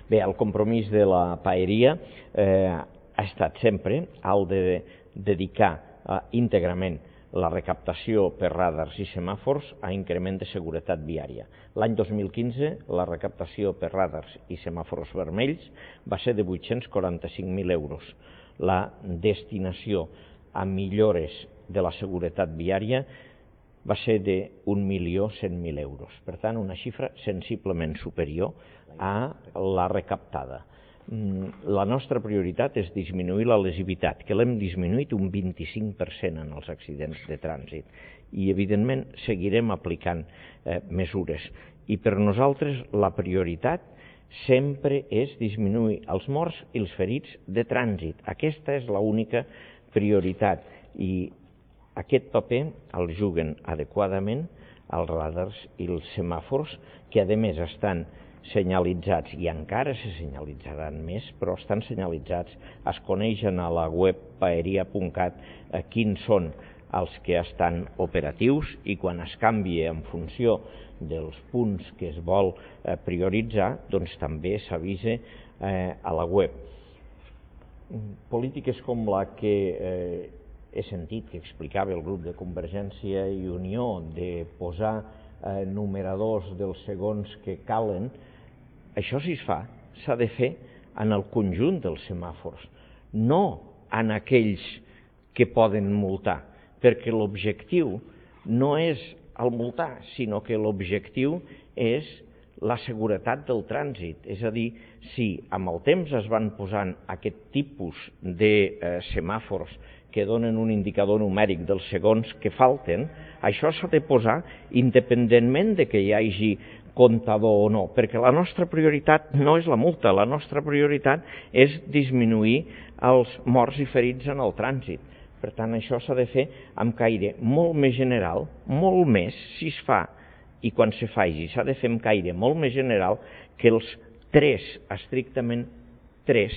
Bé, el compromís de la paeria ha estat sempre el de dedicar íntegrament la recaptació per radars i semàfors a increment de seguretat viària. L'any 2015 la recaptació per radars i semàfors vermells va ser de 845.000 euros. La destinació a millores de la seguretat viària va ser de 1.100.000 euros. Per tant, una xifra sensiblement superior a la recaptada. La nostra prioritat és disminuir la lesivitat, que l'hem disminuït un 25% en els accidents de trànsit. I, evidentment, seguirem aplicant mesures. I per nosaltres la prioritat sempre és disminuir els morts i els ferits de trànsit. Aquesta és l'única prioritat. I aquest paper el juguen adequadament els radars i els semàfors, que a més estan senyalitzats i encara se senyalitzaran més, però estan senyalitzats, es coneixen a la web paeria.cat quins són els que estan operatius i quan es canvia en funció dels punts que es vol prioritzar, doncs també s'avisa a la web. Polítiques com la que he sentit que explicava el grup de Convergència i Unió de posar numeradors dels segons que calen, això si es fa, s'ha de fer en el conjunt dels semàfors, no en aquells que poden multar, perquè l'objectiu no és el multar, sinó que l'objectiu és la seguretat del trànsit. És a dir, si amb el temps es van posant aquest tipus de semàfors que donen un indicador numèric dels segons que falten, això s'ha de posar independentment de que hi hagi comptador o no, perquè la nostra prioritat no és la multa, la nostra prioritat és disminuir els morts i ferits en el trànsit. Per tant, això s'ha de fer amb caire molt més general, molt més, si es fa, i quan se faci, s'ha de fer amb caire molt més general que els estrictament tres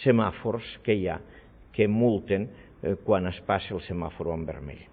semàfors que hi ha, que multen quan es passa el semàfor en vermell.